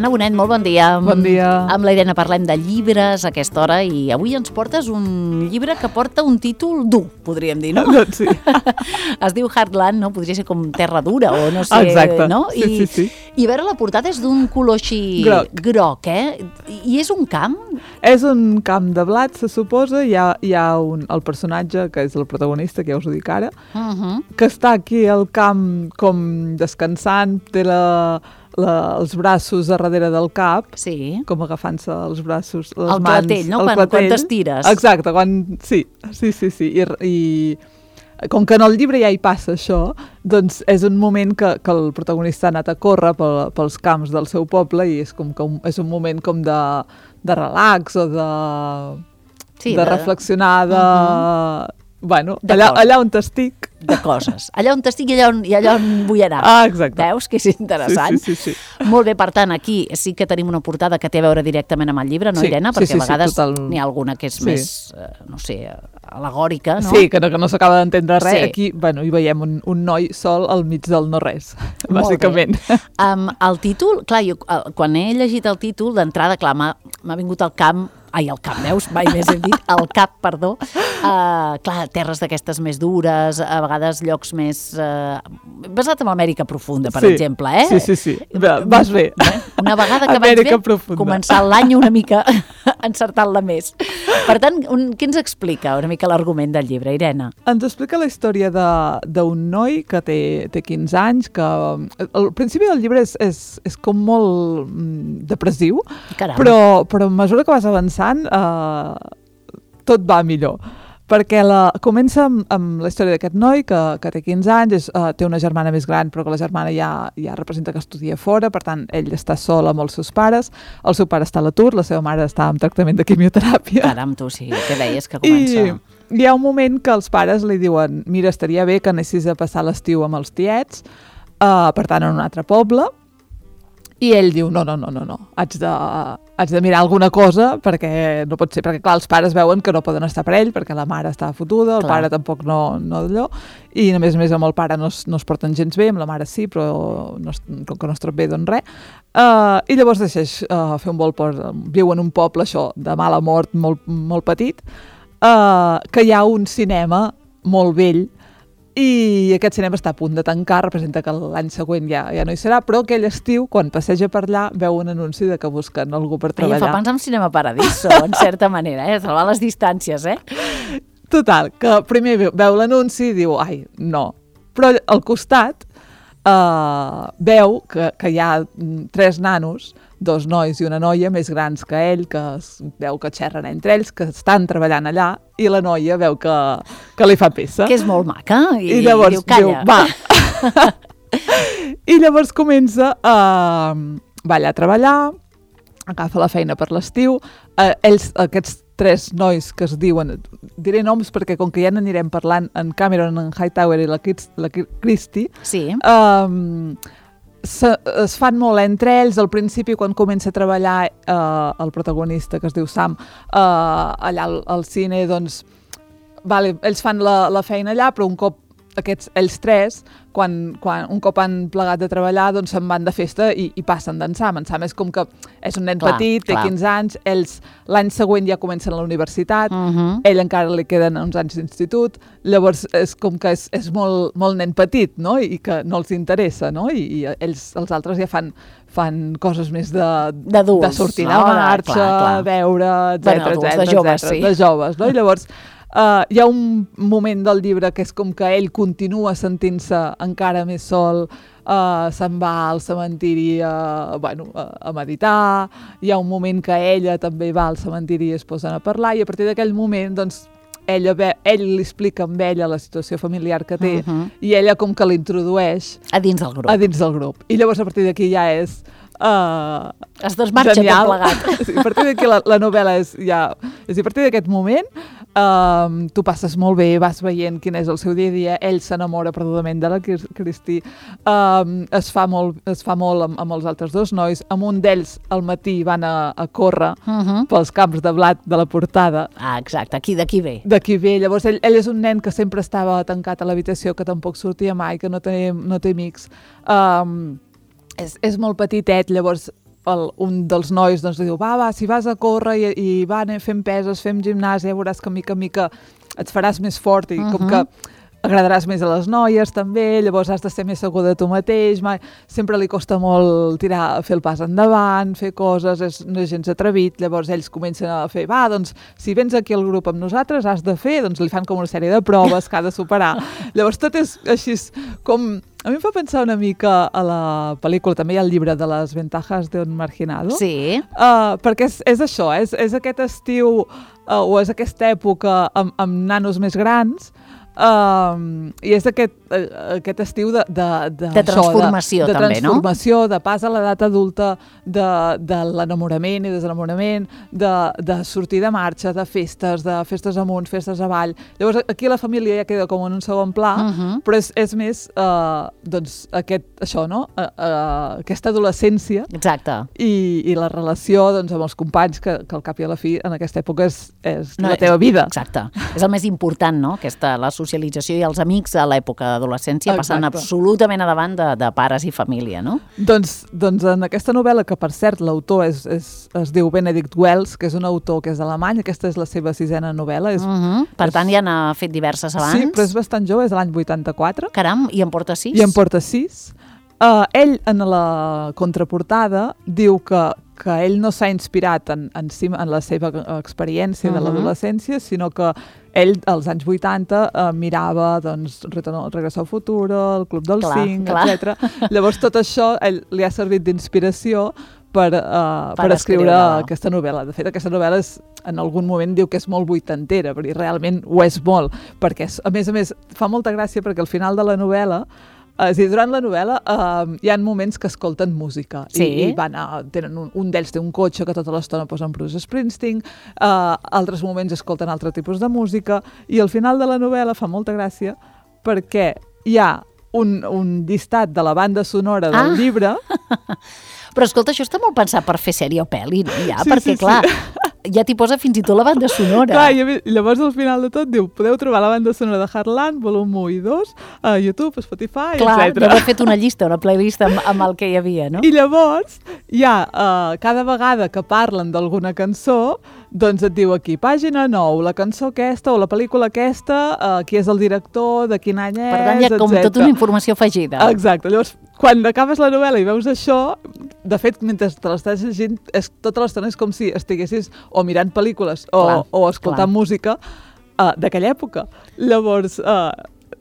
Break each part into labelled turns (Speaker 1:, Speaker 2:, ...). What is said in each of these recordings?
Speaker 1: Irene Bonet, molt bon dia.
Speaker 2: Bon dia.
Speaker 1: Amb la Irene parlem de llibres a aquesta hora i avui ens portes un llibre que porta un títol dur, podríem dir, no?
Speaker 2: Sí.
Speaker 1: Es diu Heartland, no? Podria ser com terra dura o no sé,
Speaker 2: exacte.
Speaker 1: No?
Speaker 2: Sí.
Speaker 1: I a veure, la portada és d'un color així groc, I és un camp?
Speaker 2: És un camp de blat, se suposa. Hi ha el personatge, que és el protagonista, que ja us ho dic ara, que està aquí al camp com descansant, té els braços a darrere del cap, com agafant-se els braços, les mans...
Speaker 1: Clatell, no? Quan t'estires.
Speaker 2: Exacte, sí. I com que en el llibre ja hi passa això, doncs és un moment que el protagonista ha anat a córrer pels camps del seu poble i és com que és un moment com de relax o de reflexionar, bueno, allà on t'estic.
Speaker 1: De coses. Allà on t'estic i allà on vull anar.
Speaker 2: Exacte.
Speaker 1: Veus que és interessant?
Speaker 2: Sí.
Speaker 1: Molt bé, per tant, aquí sí que tenim una portada que té a veure directament amb el llibre, no, Irene? Perquè a vegades n'hi ha alguna que és més, no sé, al·legòrica, no?
Speaker 2: Sí, que no s'acaba d'entendre res. Sí. Aquí, bueno, hi veiem un noi sol al mig del no-res, bàsicament.
Speaker 1: El títol, clar, jo quan he llegit el títol, d'entrada, clar, m'ha vingut el cap, veus? Mai més hem dit, el cap, perdó. Clar, terres d'aquestes més dures, a vegades llocs més... basat en l'Amèrica profunda, per exemple,
Speaker 2: Sí. Vas bé.
Speaker 1: Una vegada que vaig bé, començar l'any una mica encertant-la més. Per tant, què ens explica una mica l'argument del llibre, Irene?
Speaker 2: Ens explica la història d'un noi que té 15 anys, que al principi del llibre és com molt depressiu, però a mesura que vas avançant tot va millor, perquè comença amb la història d'aquest noi que té 15 anys, té una germana més gran, però que la germana ja representa que estudia fora, per tant ell està sol amb els seus pares, el seu pare està a l'atur, la seva mare està en tractament de quimioteràpia.
Speaker 1: Caram, tu sí, què deies que comença?
Speaker 2: I hi ha un moment que els pares li diuen, mira, estaria bé que anessis a passar l'estiu amb els tiets, per tant en un altre poble, i ell diu, no, haig de mirar alguna cosa, perquè no pot ser, perquè clar, els pares veuen que no poden estar per ell, perquè la mare està fotuda, el pare tampoc no d'allò, i a més amb el pare no es porten gens bé, amb la mare sí, però com que no es trob bé, doncs res. I llavors decideix fer un vol viu en un poble, això, de mala mort, molt, molt petit, que hi ha un cinema molt vell, i aquest cinema està a punt de tancar, representa que l'any següent ja no hi serà, però aquell estiu, quan passeja per allà, veu un anunci de que busquen algú per treballar.
Speaker 1: Fa pensar en Cinema Paradiso, en certa manera, salvar les distàncies,
Speaker 2: Total, que primer veu l'anunci i diu, ai, no. Però al costat veu que hi ha 3 nanos, 2 nois i una noia més grans que ell, que veu que xerren entre ells, que estan treballant allà, i la noia veu que li fa peça.
Speaker 1: Que és molt maca, i
Speaker 2: llavors
Speaker 1: diu, calla.
Speaker 2: Diu, va. I llavors comença va allà a treballar, agafa la feina per l'estiu, aquests 3 nois que es diuen, diré noms perquè com que ja n'anirem parlant, en Cameron, en Hightower i la Christie, es fan molt entre ells. Al principi, quan comença a treballar el protagonista, que es diu Sam, allà al cine, doncs ells fan la feina allà, però un cop ells 3, quan un cop han plegat de treballar, doncs se'n van de festa i passen d'en Sam. En Sam és com que és un nen petit, té 15 anys, ells l'any següent ja comencen a la universitat, ell encara li queden uns anys d'institut, llavors és com que és molt, molt nen petit, no? I que no els interessa, no? I els altres ja fan coses més de sortir a marxa, beure, etc. De joves, no? I llavors hi ha un moment del llibre que és com que ell continua sentint-se encara més sol, se'n va al cementiri a meditar, hi ha un moment que ella també va al cementiri i es posen a parlar, i a partir d'aquell moment doncs ell li explica amb ella la situació familiar que té, i ella com que l'introdueix
Speaker 1: a dins del grup.
Speaker 2: I llavors a partir d'aquí ja és
Speaker 1: es desmarxa tot plegat.
Speaker 2: A partir d'aquí la novel·la és a partir d'aquest moment tu passes molt bé, vas veient quin és el seu dia a dia, ell s'enamora perdudament de la Christie, es fa molt amb els altres 2 nois, amb un d'ells al matí van a córrer pels camps de blat de la portada.
Speaker 1: Exacte, d'aquí ve.
Speaker 2: D'aquí ve, llavors ell és un nen que sempre estava tancat a l'habitació, que tampoc sortia mai, que no té amics, és molt petitet, llavors un dels nois doncs, diu, va, si vas a córrer i va, anem fent peses, fem gimnàs, ja veuràs que mica en mica et faràs més fort i com que agradaràs més a les noies també, llavors has de ser més segur de tu mateix, sempre li costa molt fer el pas endavant, fer coses, no és gens atrevit, llavors ells comencen a fer, va, doncs si vens aquí al grup amb nosaltres has de fer, doncs li fan com una sèrie de proves que ha de superar. Llavors tot és així com... A mi em fa pensar una mica a la pel·lícula, també hi ha el llibre de les ventajas d'un marginado.
Speaker 1: Sí.
Speaker 2: Perquè és això, és aquest estiu o és aquesta època amb nanos més grans, i és aquest estiu de
Speaker 1: transformació,
Speaker 2: de
Speaker 1: també,
Speaker 2: transformació, de pas a l'edat adulta, de l'enamorament i desenamorament, de sortir de marxa, de festes amunt, festes avall. Llavors aquí la família ja queda com en un segon pla, però és més doncs això, no? Aquesta adolescència.
Speaker 1: Exacte.
Speaker 2: I la relació doncs, amb els companys que al cap i a la fi en aquesta època és la teva vida.
Speaker 1: Exacte. És el més important, no? La socialització i els amics a l'època d'adolescència passen absolutament a davant de pares i família, no?
Speaker 2: Doncs en aquesta novel·la, que per cert l'autor es diu Benedict Wells, que és un autor que és alemany, aquesta és la seva 6ª novel·la.
Speaker 1: Per tant, ja n'ha fet diverses abans.
Speaker 2: Sí, però és bastant jove, és de l'any 84.
Speaker 1: Caram, i en porta 6?
Speaker 2: I en porta 6. Ell, en la contraportada, diu que ell no s'ha inspirat en la seva experiència de l'adolescència, sinó que ell, als anys 80, mirava doncs, Regreso al futuro, el Club dels 5, etc. Llavors, tot això li ha servit d'inspiració per escriure aquesta novel·la. De fet, aquesta novel·la en algun moment diu que és molt vuitantera, perquè realment ho és molt, perquè a més fa molta gràcia perquè al final de la novel·la durant la novel·la hi ha moments que escolten música i un d'ells té un cotxe que tota l'estona posen Bruce Springsteen, altres moments escolten altre tipus de música i al final de la novel·la fa molta gràcia perquè hi ha un llistat de la banda sonora del llibre.
Speaker 1: Però escolta, això està molt pensat per fer sèrie o pel·li, no? Perquè clar, ja t'hi posa fins i tot la banda sonora.
Speaker 2: Clar, i llavors al final de tot diu, podeu trobar la banda sonora de Heartland, volum 1 i 2, a YouTube, a Spotify, etc.
Speaker 1: Clar, ja he fet una llista, una playlist amb el que hi havia, no?
Speaker 2: I llavors hi ha, cada vegada que parlen d'alguna cançó, doncs et diu aquí, pàgina 9, la cançó aquesta o la pel·lícula aquesta, qui és el director, de quin any és, etc.
Speaker 1: Per tant, hi ha com tota una informació afegida.
Speaker 2: Exacte. Llavors, quan acabes la novel·la i veus això, de fet, mentre te l'estàs llegint, tota l'estona és com si estiguessis o mirant pel·lícules o escoltant música d'aquella època. Llavors,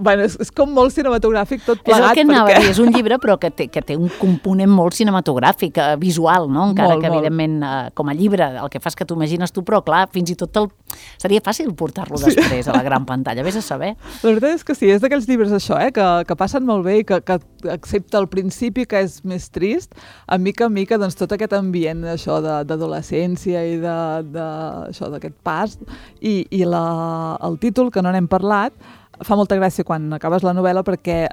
Speaker 2: és com molt cinematogràfic tot plegat.
Speaker 1: És el que anava a dir, és un llibre però que té un component molt cinematogràfic, visual, no? Encara que evidentment com a llibre el que fas que t'ho imagines tu, però clar, fins i tot seria fàcil portar-lo després a la gran pantalla, vés a saber.
Speaker 2: La veritat és que sí, és d'aquells llibres això, que passen molt bé i que excepte al principi que és més trist, a mica doncs tot aquest ambient això d'adolescència i d'aquest pas i el títol, que no n'hem parlat, fa molta gràcia quan acabes la novel·la perquè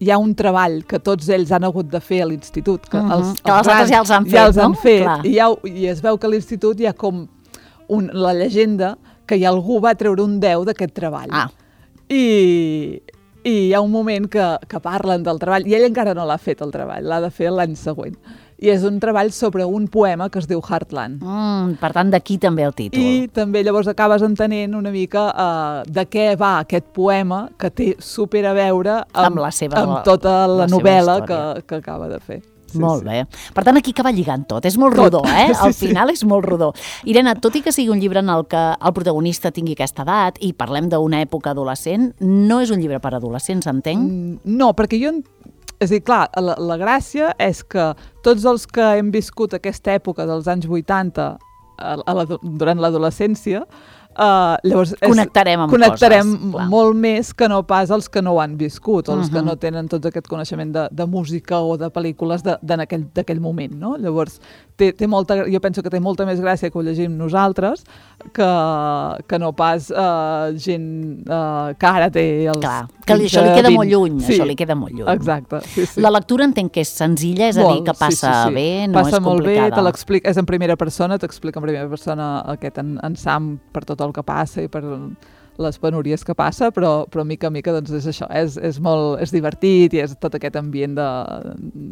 Speaker 2: hi ha un treball que tots ells han hagut de fer a l'institut, que els
Speaker 1: altres ja els han fet,
Speaker 2: i es veu que a l'institut hi ha com la llegenda que algú va treure un 10 d'aquest treball. I hi ha un moment que parlen del treball, i ell encara no l'ha fet el treball, l'ha de fer l'any següent. I és un treball sobre un poema que es diu Heartland.
Speaker 1: Per tant, d'aquí també el títol.
Speaker 2: I també llavors acabes entenent una mica de què va aquest poema que té súper a veure amb tota la novel·la que acaba de fer.
Speaker 1: Molt bé. Per tant, aquí acaba lligant tot. És molt rodó, Al final és molt rodó. Irene, tot i que sigui un llibre en el que el protagonista tingui aquesta edat i parlem d'una època adolescent, no és un llibre per adolescents, entenc?
Speaker 2: No, perquè jo... És a dir, clar, la gràcia és que tots els que hem viscut aquesta època dels anys 80 durant l'adolescència, llavors
Speaker 1: connectarem
Speaker 2: molt més que no pas els que no ho han viscut, o els que no tenen tot aquest coneixement de música o de pel·lícules d'aquell moment, no? Llavors, jo penso que té molta més gràcia que ho llegim nosaltres que no pas gent que ara té els...
Speaker 1: Clar, que això li queda molt lluny, això li queda molt lluny.
Speaker 2: Exacte, sí.
Speaker 1: La lectura entenc que és senzilla, és a dir, que passa bé, no és complicada.
Speaker 2: Passa molt bé, te l'explica, és en primera persona, t'explica en primera persona aquest en Sam per tot el que passa i per les penúries que passa, però mica en mica doncs és això, és divertit i és tot aquest ambient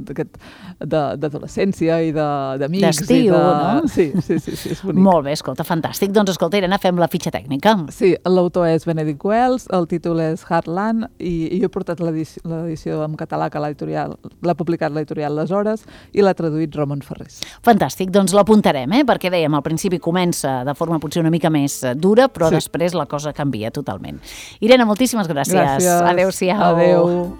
Speaker 2: d'adolescència i d'amics.
Speaker 1: D'estiu, no?
Speaker 2: Sí, és bonic.
Speaker 1: Molt bé, escolta, fantàstic. Doncs escolta, Irene, fem la fitxa tècnica.
Speaker 2: Sí, l'autor és Benedict Wells, el títol és Heartland, i jo he portat l'edició en català que l'ha publicat l'editorial Les Hores i l'ha traduït Ramon Ferrés.
Speaker 1: Fantàstic, doncs l'apuntarem, perquè dèiem, al principi comença de forma potser una mica més dura, però després la cosa canvia totalment. Irene, moltíssimes gràcies.
Speaker 2: Gràcies.
Speaker 1: Adéu-siau.
Speaker 2: Adéu.